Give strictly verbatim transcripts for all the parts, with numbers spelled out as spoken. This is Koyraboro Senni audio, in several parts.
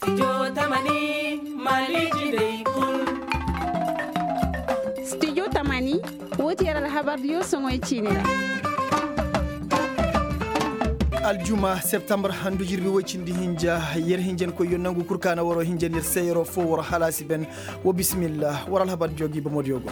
Studio tamani, woo ti yer alhabar diyo soŋoy ciini ra. Aljuma septembar handu jirbi woy cindi hinja. Yer hinjankoyyo nangu kul ka na waroo hinjandi yer se yeroo foo waroo halaasi ben. Wa bisimilla waroo alhabar diyo gi bomo diyo go.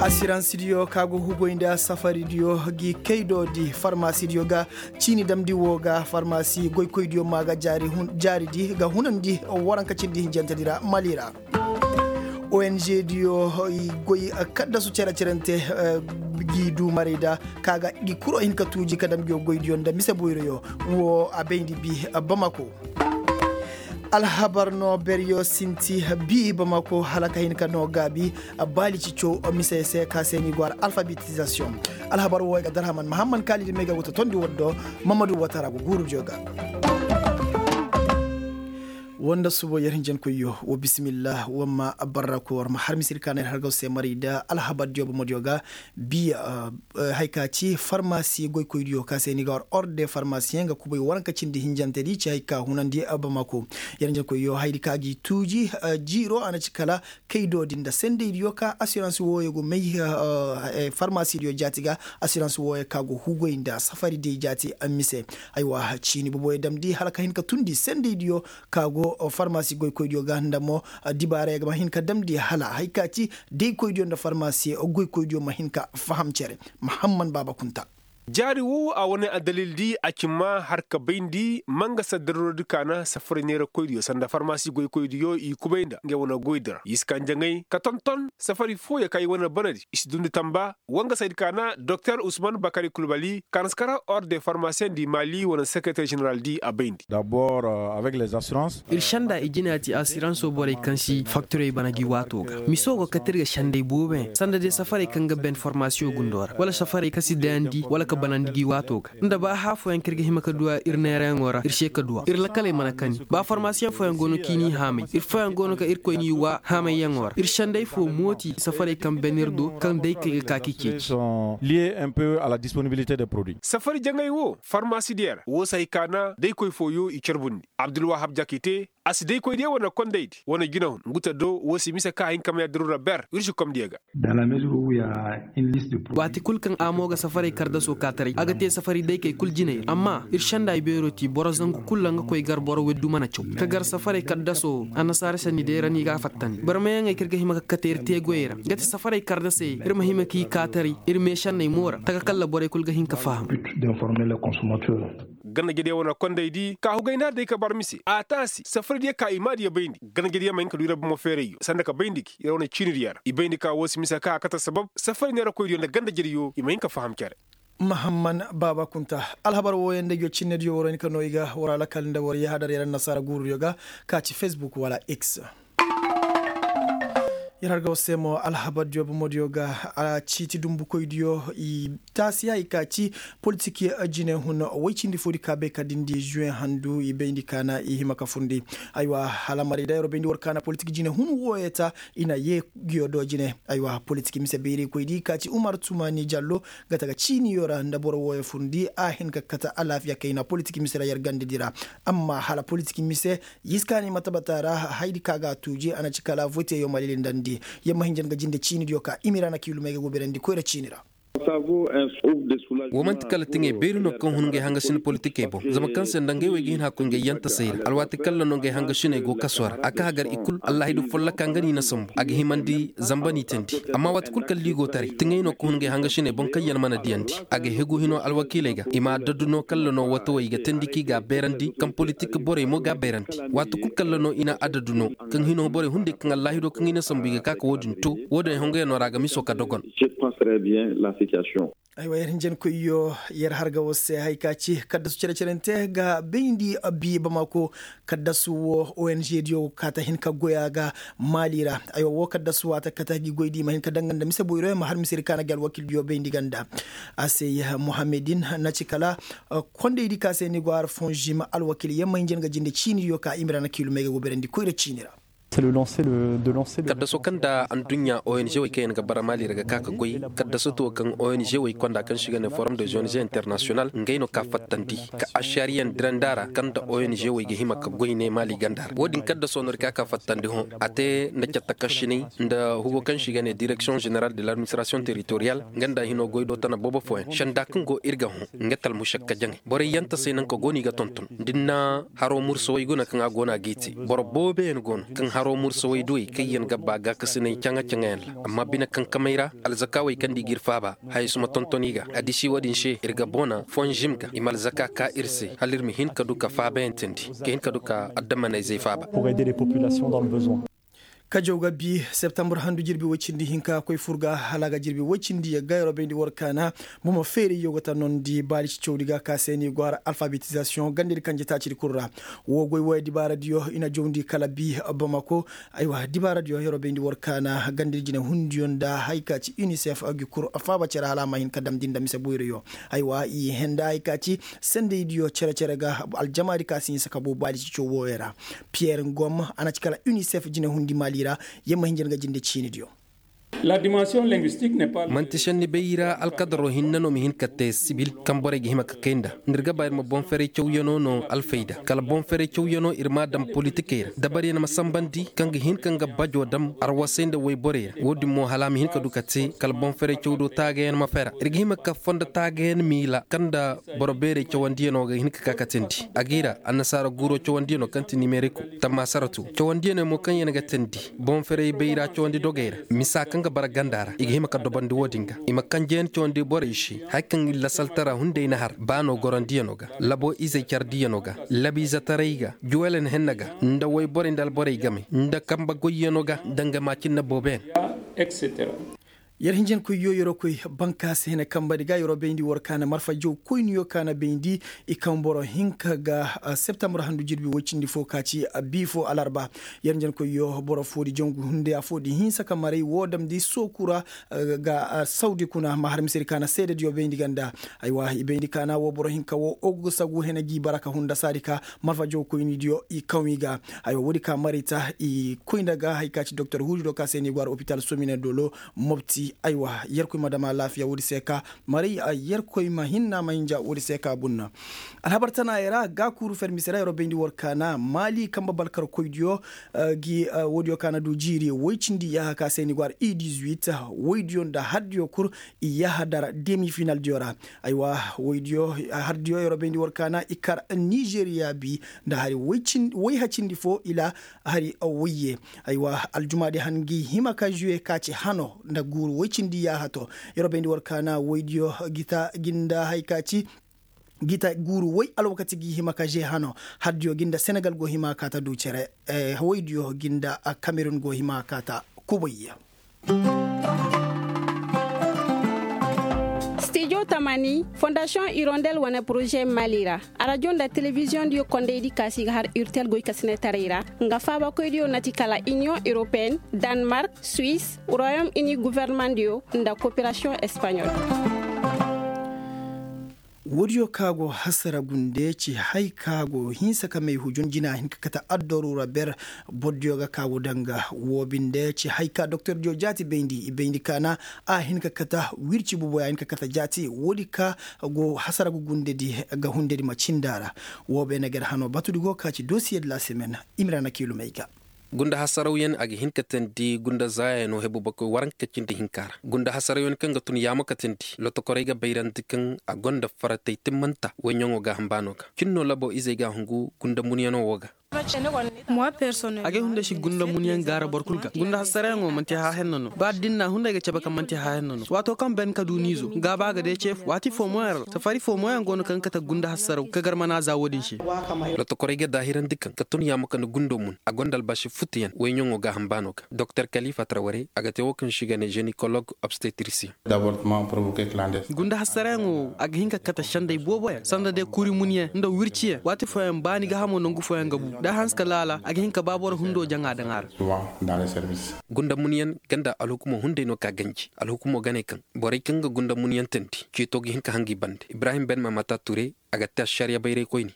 Asirans diyo ka go hugoy nda safari diyo gi kaydo di farmasi diyo ga. Ciini damndi woo ga farmasi goykoy diyo maa ga jaari jaari di ga hunandi waranka cindi hinjante di ra mali ra. Ong diyo i goy kaddasu cere-cerente, g'i duumaray da ka ga gi kuro hin ka tuuji ka dam gi goy diyo nda mise boyroyo. Woo a bayndi bi bamako. Alhabar no beryo sinti bi bamako hala ka hin ka no gaabi. Baali cico mise se ka se ni go har alfabetizasiyoŋ. Alhabar woo ay ga darhaman mahamman kaalidi may ga go ta tondi war do. Mamadu watara go guuru diyo ga. Woo nda subo yer hinjankoyyo woo bisimilla woo ma barra koy war ma har misir ka na yer hargaw se maray da alhabar diyo bomo diyo ga. Biya hay ka ci farmasi goykoydiyo ka se ni ga war orde farmasiyeŋ ga kubay waranka cindi hinjante di ci hay ka hunandi bamako. Yer hinjankoyyo hayadi ka gi tuuji jiiro a na ci kala kaydo din nda sendaydiyo ka asirans wooyo go may farmasidiyo jaati ga. Asirans wooyo ka go hugoy nda safari day jaati mise. Aywa ciini boboyo damndi hala ka hin ka tundi sendaydiyo ka go farmasi goykoydiyo ga nda mo dibaarey ga ma hin ka damndi hala hay ka ci daykoydiyo nda farmasi goykoydiyo ma hin ka faham cere. Mahamman baaba kunta. Jaari woo a wane addalil di a ci maa har ka bayndi ma nga saddarordi kaana safari neerakoydiyo sanda farmasi goykoydiyo i kubay nda ngey wane goydi ra i si ka njaŋay ka tonton safari fooyo ka i wane banadi i si dundi tamba. Wa nga saydi kaana doktor usman bakari kulbali kaana si kara orde farmasiyeŋ di maali wane sekereter ženeral di a bayndi. Ir senda i jina ti asiransoo borey kaŋ si faktirey bana gi waato ga miso go kate ir ga senday booboyaŋ sanda day safarey kaŋ ga ben formasiyoŋ gundo ra wala safarey kaŋ si dayandi wala ka banandi gi waato ga nda ba hã fooyaŋ kaŋ ir ga hima ka duw'a ir neerayaŋo ra ir se ka duw'a ir lakaley mana kani ba formasiyoŋ fooyaŋ go no k'i n'i haamay ir fooyaŋ go no kaŋ irkoy n'i w'a haamayyaŋo ra ir senday foo mooti safarey kaŋ ben ir do kaŋ day kay ga ka k'i ceeci. Safari jaŋay wo farmasi diya ra wo si hay ka na daykoy fooyo i carbundi abdulwahab jakite. A si daykoy diya wane kondaydi wane jinahun ngu ta do wo si mise ka hin ka may addiru ra ber ir si komdiya ga. Waati kul kaŋ a mo ga safarey kardasoo kaataray a ga te safari daykey kul jinay ra amma ir senda ibeero ti boro zangu kul ra nga koy gar boro weddu mana caw ka gar safarey kardasoo annasaara sanni day ra ni ga a fattandi barmayaŋey kaŋ ir ga hima ka kate ir teegoyey ra nga ti safarey kardasey ir ma hima k'i kaataray ir meešanney mo ra taka kalla borey kul ga hin ka faham. Ganda jediyaŋ wane kondey di ka hugay na day ka bar mise a taasi safari diya ka i maadiya bayndi ganda jediyaŋ ma hin ka du ira bomo feerayyo sanda ka bayndi gi ira wane ciini diya ra i bayndi ka woo si mise ka a kate sabab safari neerakoy diyo nda ganda jediyo i ma hin ka faham cere. Mahamman baaba kunta alhabar wooyaŋ nda ijoo cinne diyo war hin ka noo i ga war alakal nda war yahadar yer annasaara guuru diyo ga ka ci fesbuk wala x. Yer harga war se mo alhabar diyo bomo diyo ga a ciiti dumbukoy diyo i taasi ya i ka ci politik jine hun woy cindi foo di ka bay ka dindi juwe handu i bayndi ka na i hima ka furndi. Aywa hala maray da yer bayndi war ka na politik jine hun wooyo ta i na yee nguyo do jine. Aywa politik mise bayraykoy di ka ci umar tumani jallo ga ta ga ciiniyo ra nda boro wooyo furndi a hin ka kate alaafiya kayna politik mise ra yer ganda di ra. Amma hala politik mise y'iskaani matabata ra hayadi ka ga a tuuji a na ci kala voteyo ma lilindandi. Yer ma hinja nga jinde ciinidiyo ka imira na kiilumey ga goberandi koyra ciini ra. Wo man'ti kala tiŋey beeri no kaŋ hun ngey hangasina politikey boŋ zama kaŋ se nda ngey wey ga hin hakkoy ngey yantasey ra alwaati kalla no ngey hangasiney go kaso ra a ka hagar i kul allahidu folloka nga n'i na sambu a ga himandi zamba n'i teendi. Amma waati kul kalla i go taray tiŋey no kaŋ hun ngey hangasiney boŋ kaŋ yaŋ mana diyandi a ga hegu hino alwakiiley ga i ma adadu no kalla no watawey i ga teendi kaŋ i ga a beerandi kaŋ politik borey mo ga a beerandi. Waati kul kalla no i na adadu no kaŋ hino borey hunday kaŋ allahido kaŋ i na sambu i ga ka ka wo-din to wo-din ay hongoyaŋo ra a ga miso ka dogon. Aywa yer hinjankoyyo yer harga war se haya ka ci kaddasu cere-cerente ga bayndi bi bamako. Kaddasu wo ong diyo ga kaata hin ka goy a ga maali ra. Aywa wo kaddasu waati ga kate gi goy di ma hin ka danga nda mise boyro yaŋ ma har misedi kaana gi alwakildiyo bayndi ganda. A se muhammedin na ci kala kondaydi ka se ni go har fonzim alwakil yaŋ ma hinja nga jinde ciinidiyo ka imira na kiilumey ga goberandi koyra ciini ra. Kaddaso kaŋ nda adduɲɲa ong wey kaŋ yaŋ ga bara maali ra ga ka ga goy. Kaddaso to kaŋ ong wey konda kaŋ se i ga ne forum de ong international ngey no ka fattandi ka ašariyaŋ dirandi a ra kaŋ nda ong wey ga hima ka goy ne maali ganda ra wo- din kaddaso no ir ka ka fattandi hõ. A te nda cattakasinay nda hugo kaŋ se i ga ne direksiyoŋ ženeral de ladministrasiyoŋ teritoriyal nga nda hino goy do tana boobo fooyaŋ senda kaŋ go ir ga hõ. Nga talmušakka jaŋay borey yantasay naŋ ka go no i ga tonton da ni na haro mursawey guna kaŋ a go no a g'i te. Boro booboyaŋ go no kaŋ haro mursawey duwey kaŋ yaŋ ga ba gaakasinay caŋa-caŋayaŋ ra. Amma bine kankamey ra alzakaawey kaŋ nda i g'ir faaba hayey si ma tonton i ga. Addiši wo-din se ir ga boona fonžim ga i ma alzaka ka ir se hala ir ma hin ka du ka faabayaŋ teendi ka hin ka du ka addamanayzey faaba. Kajaw ga bi septambur handu jirbi woy cindi hinka koy fur ga hala a ga jirbi woy cindi yagga yeroo bayndi war kaana. Bomo feerayyo ga ta nondi baali cicawdi ga ka se ni go har alfabetizasiyoŋ gandadi kanje taacidi kul ra. Wo goy wooya dibaaradiyo i na jawndi kala bi bamako. Aywa dibaaradiyo yeroo bayndi war kaana gandadi jinehundiyo nda hari ka ci unicef gi kul faaba cere hala a ma hin ka damndi nda mise boyroyo. Aywa i henda hari ka ci sendaydiyo cere-cere ga aljamaadi ka si hinsa ka boo baadi cico wooyo ra. Piyer ngom a na ci kala unicef jinehundi maali ra. Yer ma hinja nga jinde ciinidiyo. Man'ti šenni bay ra alkadaro hinne no ma hin ka te sibil kaŋ borey ga hima ka kay nda. Nda ir ga ba ir ma boŋ-ferey cawyanoo no alfayda kala boŋ-ferey cawyanoo ir m'a daŋ politikey ra dabaryaŋ ma sanbandi kaŋ ga hin ka nga bajoo daŋ arwasay nda woyborey ra wo-din mo hala a ma hin ka du ka te kala boŋ-ferey cawdoo taagayaŋ ma fera ir ga hima ka fondo taagayaŋ miila kaŋ nda boro beerey cawandiyanoo ga hin ka ka ka teendi a g'i ra annasaara guuroo cawandiyanoo kaŋ ti nimeriko tammaasaratu cawandiyaney mo kaŋ yaŋ ga teendi boŋ-ferey bayra cawandi dogey ra misa kaŋ ga bara ganda ra i ga hima ka dobandi wo-din ga i ma kanjeyaŋ cawandi borey se hari kaŋ lasaltara hunday na har baanoo gorandiyanoo ga labo izey cardiyanoo ga labiizetaray ga juwelen henna ga nda woyborey nda alborey game nda kambe goyyanoo ga danga maacinna booboyaŋ. Yer hinjankoyyo yeroo koy bankaasi hene kambadi ga yeroo bayndi war kaana marfa jaw koyniyo kaana bayndi i kaŋ boro hinka ga septembar handu jirbi woy cindi fo ka ci bii fo alarba. Yer hinjankoyyo boro foodi jangu hunday affoodi hinsa ka maray woo damndi sooku ra ga sawdi kuna ma har misedi kaana seedediyo bayndi ganda. Aywa i bayndi kaana woo boro hinka woo ogu ga sagu hene g'i bara ka hunda saadi ka marfa jaw koynidiyo i kaŋ i ga. Aywa woodi ka maray ta i koy nda ga hari ka ci doktor huudido ka se ni go har opital somine dolo mobti aywa yerkoy ma dam alaafiya woodi se ka maray yerkoy ma hinna ma hinja woodi se ka bunna. Alhabar tanaayey ra gaakuuru fermise ra yeroo bayndi war kaana maali kambe balkarkoydiyo. Woodiyo kaana du jiiri woy cindi yaaha ka se ni go har i dizuwit woydiyo nda hardiyo kul i yaaha dara demi finaldiyo ra. Aywa woydiyo hardiyo yeroo bayndi war kaana i kar nizeriya bi nda hari woy hacindi fo ila hari woyye. Aywa aljumaadi han ngi hima ka juwe ka ci hano nda guuru woy cindi yaaha to. Yeroo bayndi war kaana woydiyo gita ginda hari ka ci gita guuru woy alwakati gi hima ka je hano. Hardiyo ginda senegal go hima ka ta du cere woydiyo ginda kamerun go hima ka ta kubayya. Stijo tamani fondasiyoŋ irondel wane poroze mali ra. Arajo nda telebiziyoŋ diyo kondaydi kaasi ga har urtel goy kasinetaray ra. Nga faabakoydiyo na ti kala iniyoŋ europeyenne, danmark, suwis, royom ini guvernemandiyo nda koperasiyoŋ espaɲol. Woodiyo ka go hasara gunde ci hay ka go hinsa ka may hujun jina hin ka kata addoru ra ber. Bordiyo ga ka go danga wo binde ci hay ka doktordiyo jaati bayndi i bayndi kaana a hin ka kata wirci buboya hin ka kata jaati woodi ka go hasara ga gundedi ga hundedi ma cinda ra. Wo beene ga ir hano batudi go ka ci dosiye de la semaine. Imrana kilumey ga. Gunda hasarawyaŋ a ga hin ka teendi gunda zaayayaŋo hebu bakoy waranka cindi hinka ra gunda hasarawyaŋ kaŋ ga tun yaama ka teendi lotokorey ga bayrandi kaŋ a gonda faratey timmanta woyɲaŋo gaaham baano ga cin no labo izey ga a hungu gunda munyaŋo wo ga. Agay hunday si gunda munyaŋ gaara boro kul ga gunda hasarayaŋo manti haahenna no ba da din na hunday ga cabe kaŋ manti haahenna no waato kaŋ ben ka du niizo gaaba ga day ceefu waati fo mo yaŋ ra safari fo mo yaŋ go no kaŋ ga kate gunda hasaraw ka gar mana za wo-din se. Lotokorey ga daahirandi kaŋ ka tun yaama ka ni gundo mun a gonda albaasi futuyaŋ woyɲaŋo gaaham baano ga doktor kalifa traware a ga te wo kaŋ se i ga ne zenikolog obstetrisiyaŋ. Gunda hasarayaŋo wo a ga hin ka kate senday boobo yaŋ sanda day kuri munyaŋ nda wirciyaŋ waati fooyaŋ ba ni gaahamo nangu fooyaŋ ga bu da a hanse ka laala a ga hin ka ba boro hundo jaŋa daŋ a ra. Gunda munyaŋ ganda alhukumo hunday no ka ganji alhukumo ga ne kaŋ borey kaŋ ga gunda munyaŋ teendi ceeto ga hin ka hanga i bande ibrahim ben mamata ture. a ga te ašariya bayray koyne.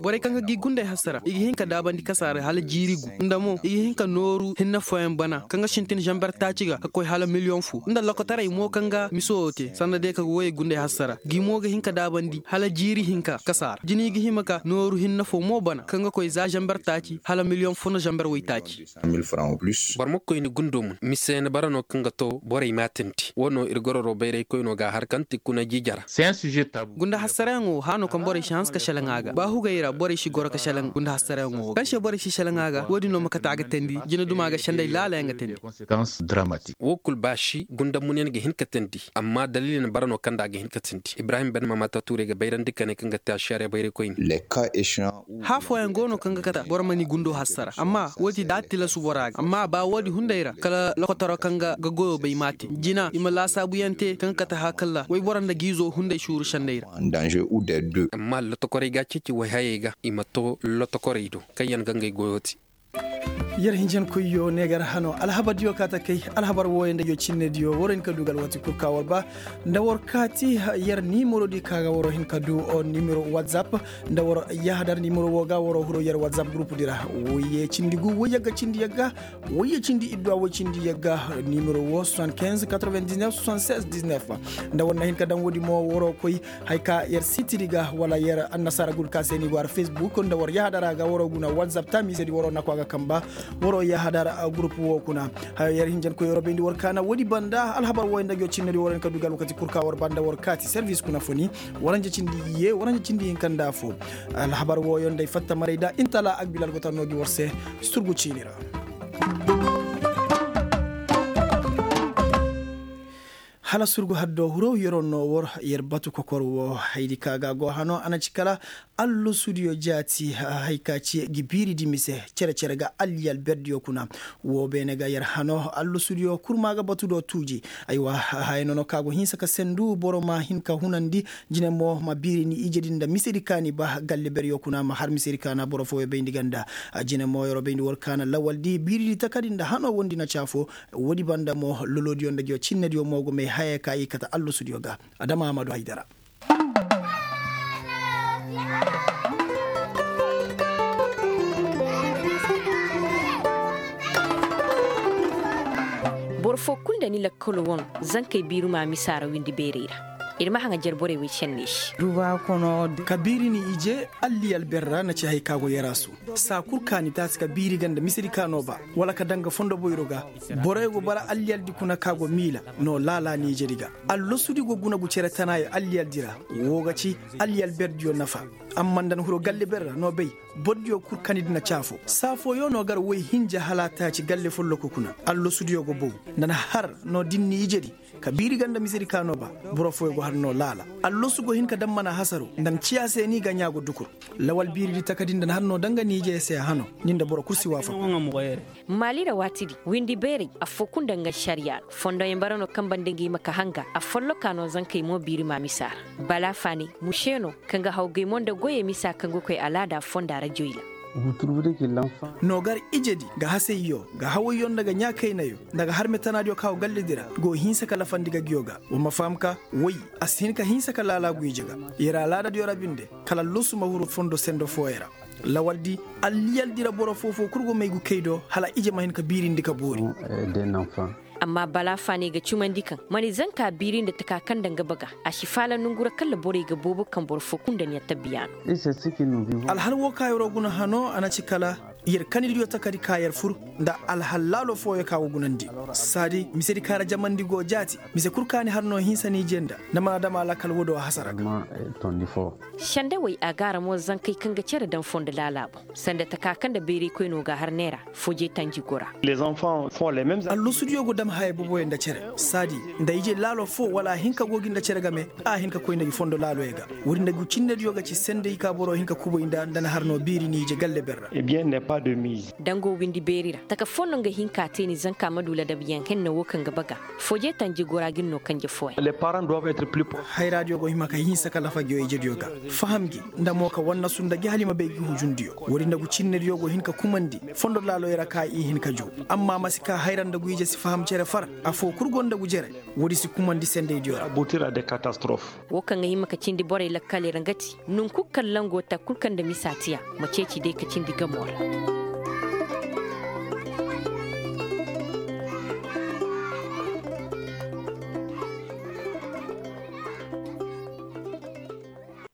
Borey kaŋ ga gi gunday hassara i ga hin ka daabandi kasaara hala jiiri gu nda mo i ga hin ka nooru hinne fooyaŋ bana kaŋ ga sintin zamber taaci ga ka koy hala miliyoŋ fo nda lokotaray mo kaŋ ga miso wo te sanda day ka ga woyey gunday hassara gi mo ga hin ka daabandi hala jiiri hinka kasaara jina i ga hima ka nooru hinne fo mo bana kaŋ ga koy za zamber taaci hala miliyoŋ fo nda zamber waytaaci. Boro ma koy ni gundo mun mise ni bara no kaŋ ga to borey maatindi wo no ir gororo bayray koyno ga har kaŋ ti kuna jiija ra. Gunda hassarayaŋo wo hano kaŋ borey si hanse ka selaŋ a ga ba hugey ra borey si goro ka selaŋ gunda hassarayaŋo wo kaŋ se borey si selaŋ a ga wo- din no ma kate a ga teendi jina duma ga senday laalayaŋ ga teendi. Wo kul baasi gunda munyaŋ ga hin ka teendi amma daliili na bara no kaŋ nda a ga hin ka teendi ibrahim ben mamata tuurey ga bayrandi kane kaŋ ga te ašariya bayray koyne. Haa fooyaŋ go no kaŋ ga kate boro ma ni gundo hassara amma wo- din da a tilasu bora ga amma ba wo- din hunday ra kala lokotaro kaŋ ga goyo bay m'a te jina i ma laasaabuyaŋ te kaŋ ga kate haakalla wayboro nda giizo hunday suuru senday ra. Amma lotokorey ga a ceeci wayhayey ga i ma to lotokorey do kaŋ yaŋ ga ngey goyo te. Yer hinjankoyyo ne gar hano alhabardiyo ka ta kay alhabar wooyo nda yo cinnediyo waro hin ka du ga alwati kul ka war ba nda war kaati yer nimero di ka ga waro hin ka du nimero whatsapp nda war yahadar nimero wo ga waro huro yer whatsapp group di ra. Woyye cindi gu woyye ga cindi yagga woyye cindi idduwa woy cindi yagga nimero wo soixante-quinze quatre-vingt-dix-neuf soixante-seize dix-neuf. Nda war na hin ka daŋ woodi mo waro koy hay ka yer sitiri ga wala yer annasaara gul ka se ni go har facebook nda war yahadara ga waro guna whatsapp taamiisedi waro naku a ga kamba waro yahadara group wo kuna. Hayo yer hinjankoy waro bayndi war kaana woodi banda alhabar wooyo nda go cinnedi waro hin ka du ga alwakati kul ka war banda war kaati service kuna fo ni waranja cindi ye waranja cindi hinka nda fo. Alhabar wooyo nda ay fatta maray da intala agbil algotan no gi war se. Surgu ciini ra hala surgu haddo huro yeroo no wor yer batu kokor wo haydi ka ga go hano a na ci kala allosudiyo jaati hay ka ci gi biiridi mise cere-cere ga alliyal berdiyo kuna. Wo beene ga yer hano allosudiyo kurma ga batu do tuuji. Aywa haya nono ka go hinsa ka sendu boro ma hin ka hunandi jine mo ma biiri ni ijedi nda misedi ka ni ba galle beryo kuna ma har misedi ka na boro fooyo bayndi ganda. Jine mo yeroo bayndi war ka na lawaldi biiridi takadi nda hano wondi na caafo. Woodi banda mo lolodiyo nda giyo cinnediyo mo go may haya ka i kata allosudiyo ga adama amadu haydara. Boro foo kul nda ni lakkalo wan zankey biiruma misa ra windi beerey ra. Ir ma haŋajer borey wey cenney se. Ka biiri ni ije alliyal berra na ci hay ka go yarasu. Saa kul ka ni taasi ka biiri ga nda misedi ka no ba wala ka daŋ ga fondo boyro ga. Borey go bara alliyaldi kuna ka go miila no laala ni ijedi ga. Allosudi go guna gu cere tanaayo alliyaldi ra. Woo ga ci alliyal berdiyo nafa. Amma nda na huru galle berra no bay. Bordiyo kul kanidi na caafo saa fooyo no gar woy hinja hala taaci galle folloku kuna. Allosudiyo go bow nda na har no din ni ijedi. Ka biiri ga nda misedi ka no ba. Boro fooyo go har no laala. Allosu go hin ka daŋ mana hasaro nda na ciya se ni ga ɲaa go dukur. Lawal biiridi takadi nda na har no daŋ ga ni ije se a hano. Ni nda boro kul si waafaku. Maali ra waatidi windi beerey affoo kul nda nga ašariya ra. Fondoyaŋ bara no kaŋ banda ngi ma ka hanga a folloka no zankey mo biiri ma misa ra. Bala faaney muse no kaŋ ga hawgay mo nda goyey misa kaŋ ga koy alaada fonda ra joyla. No gar ijedi ga hasayyo ga hawayyo nda ga ɲaakaynayo nda ga harme tanaadiyo kaŋ a go galledi ra go hinsa ka lafandi ga giyo ga. Wa ma faham ka woy a si hin ka hinsa ka laalaagu ije ga. Yer alaadadiyo ra binde kala allosu ma huru fondo sendo fooyo ra. Lawaldi alliyaldi ra boro foo foo kul go may gu kay do hala ije ma hin ka biirindi ka boori. Amma bala faaney ga cumandi kaŋ ma ni zanka biiri nda taka kaŋ nda nga baga a si faala nongu ra kala borey ga boobo kaŋ boro foo kul nda ni a tabbiya no. Alhal woo ka yeroo guna hano a na ci kala yer kanidiyo takadi ka yer fur nda alhal laalo fooyo ka go gunandi. Saadi misedi ka ra jamandi go jaati mise kul ka ni har no hinsa ni jenda nda mana dama lakkal woodiyo hasara ga. Sendawey a ga a ra mo zankey kaŋ ga cere daŋ fondo laala boŋ sanda taka kaŋ nda bayraykoy no ga a har neera. Fojey tanji gora. Allosudiyo go dam haya boboyo nda cere saadi nda ije laalo foo wala a hin ka go gi nda cere game. A hin ka koy nda gi fondo laaloyo ga. Woodi nda gi cinnediyo ga ci sendey ka boro hin ka kubay nda nda na har no biiri ni ije galle berra. Dango windi beeri ra taka foo no nga hin ka te ni zanka ma du ladabyaŋ henna woo kaŋ ga baga. Fooje tanji gora ga ni no kanje fooyaŋ. Hayraadiyo go hima ka hinsa kala fajiyo ijediyo ga. Faham gi nda mo ka wannasu nda gi hala i ma bay gi hujundiyo. Woodi nda gu cinnediyo go hin ka kumandi fondo laaloyo ra ka i hin ka juu. Amma ma si ka hayra nda gu ije si faham cere far. Afoo kul go nda gu jere. Woodi si kumandi sendeydiyo ra. Woo kaŋ ga hima ka cindi borey lakkaley ra nga ti, nunku kaŋ lango ta kul kaŋ nda misa tiya, ma ceeci day ka cindi gamoo ra.